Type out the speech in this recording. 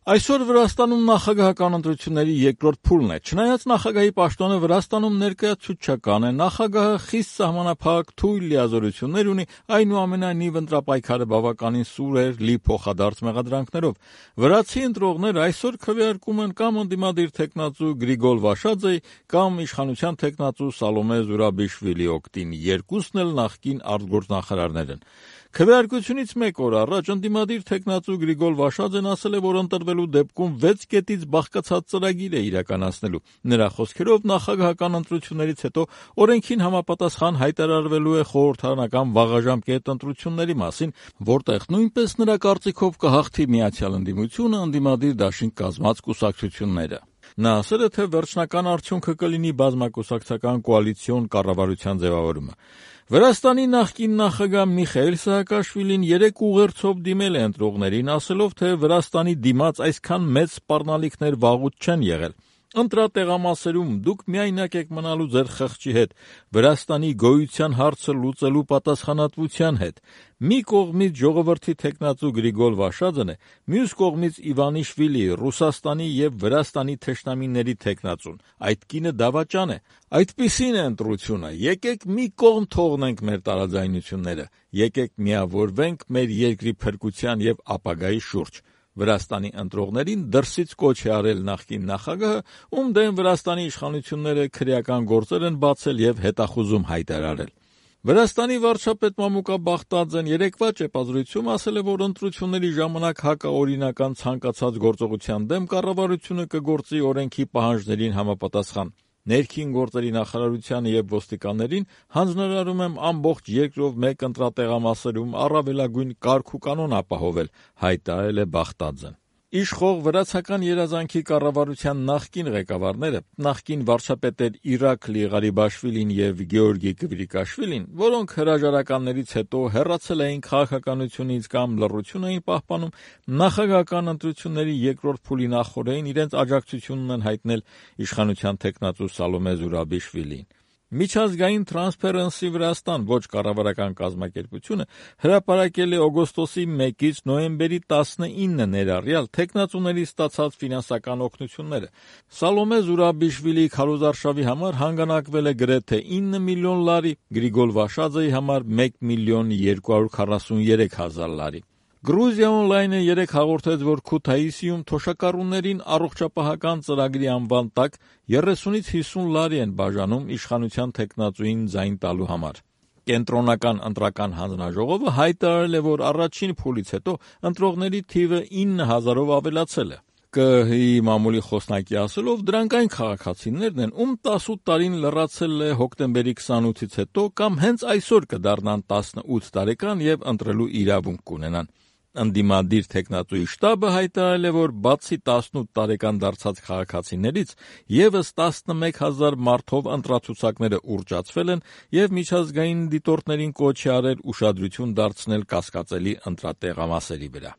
Այսօր Վրաստանում նախագահական ընտրությունների երկրորդ փուլն է։ Չնայած նախագահի պաշտոնը Վրաստանում ներկայացուցչական է, նախագահը խիստ սահմանափակ թույլ լիազորություններ ունի, այնուամենայնիվ ընտրապայքարը բավականին սուր էր լի փոխադարձ մեղադրանքներով։ Վրացի ընտրողներ այսօր քվեարկում են կամ ընդդիմադիր թեկնածու Գրիգոր Վաշաձեի կամ իշխանության թեկնածու Սալոմե Զուրաբիշվիլի օգտին, երկուսն էլ նախկին արտգործնախարարներ են։ Քվեարկությունից մեկ օր առաջ ընդդիմադիր թեկնածու Գրիգոր Վաշաձեն ասել է, որ ընտրվելու դեպքում 6 կետից բաղկացած ծրագիր է իրականացնելու։ Նրա խոսքերով նախագահական ընտրություններից հետո օրենքին համապատասխան հայտարարվելու է խորհրդարանական վաղաժամկետ ընտրությունների մասին, որտեղ նույնպես նրա կարծիքով կհաղթի Միացյալ Ընդդիմությունը, ընդդիմադիր դաշինք կազմած կուսակցությունները։ Նա ասել է, թե վերջնական արդյունքը կլինի բազմակուսակցական կոալիցիոն կառավարության ձևավորումը։ Վրաստանի նախկին նախագահ Միխայիլ Սահակաշվիլին 3 ուղերձով դիմել է ընտրողներին, ասելով, թե Վրաստանի դիմաց այսքան մեծ սպառնալիքներ վաղուց չեն եղել։ Ընտրատեղամասերում դուք միայնակ եք մնալու ձեր խղճի հետ, Վրաստանի գոյության հարցը լուծելու պատասխանատվության հետ։ Մի կողմից ժողովրդի թեկնածու Գրիգոր Վաշաձեն է, մյուս կողմից Իվանիշվիլի, Ռուսաստանի եւ Վրաստանի թշնամիների թեկնածուն։ Այդ կինը դավաճան է։ Այդպիսին է ընտրությունը։ Եկեք մի կողմ թողնենք մեր տարաձայնությունները, եկեք միավորվենք մեր երկրի փրկության եւ ապագայի շուրջ։ Վրաստանի ընտրողներին դրսից կոչ է արել նախկին նախագահը, ում դեմ Վրաստանի իշխանությունները քրեական գործեր են բացել եւ հետախուզում հայտարարել։ Վրաստանի վարչապետ Մամուկա Բաղդաձեն երեկվա ճեպազրույցում ասել է, որ ընտրությունների ժամանակ հակաօրինական ցանկացած գործողության դեմ կառավարությունը կգործի օրենքի պահանջներին համապատասխան։ Ներքին գործերի նախարարությանը եւ ոստիկաններին հանձնարարում եմ ամբողջ երկրով մեկ ընտրատեղամասերում առավելագույն կարգ ու կանոն ապահովել, հայտարարել է Բաղդաձեն։ Իշխող վրացական երազանքի կառավարության նախկին ղեկավարները, նախկին վարչապետեր Իրաքլի Ղարիբաշվիլին եւ Գեորգի Կվրիկաշվիլին, որոնք հրաժարականներից հետո հեռացել էին քաղաքականությունից կամ լռություն էին պահպանում, նախագահական ընտրությունների երկրորդ փուլի նախօրեին իրենց աջակցությունն են հայտնել իշխանության թեկնածու Սալոմե Զուրաբիշվիլին։ Միջազգային Transparency Վրաստան ոչ կառավարական կազմակերպությունը հրապարակել է օգոստոսի 1-ից նոյեմբերի 19-ը ներառյալ թեկնածուների ստացած ֆինանսական օգնությունները։ Սալոմե Զուրաբիշվիլի քարոզարշավի համար հանգանակվել է գրեթե 9 միլիոն լարի, Գրիգոր Վաշաձեի համար 1 միլիոն 243 հազար լարի։ Գրուզիա Օնլայնը 3 հաղորդեց, որ Քութայիսիում թոշակառուներին առողջապահական ծրագրի անվան տակ 30-ից 50 լարի են բաժանում իշխանության թեկնածուին ձայն տալու համար։ Կենտրոնական ընտրական հանձնաժողովը հայտարարել է, որ առաջին փուլից հետո ընտրողների թիվը 9000-ով ավելացել է։ ԿԸՀ-ի մամուլի խոսնակի ասելով, դրանք այն քաղաքացիներն են, ում 18 տարին լրացել է հոկտեմբերի 28-ից հետո կամ հենց այսօր կդառնան 18 տարեկան եւ ընտրելու իրավունք կունենան։ Ընդդիմադիր թեկնածուի շտաբը հայտարարել է, որ բացի 18 տարեկան դարձած քաղաքացիներից եւս 11000 մարդով ընտրացուցակները ուռճացվել են եւ միջազգային դիտորդներին կոչ է արել ուշադրություն դարձնել կասկածելի ընտրատեղամասերի վրա։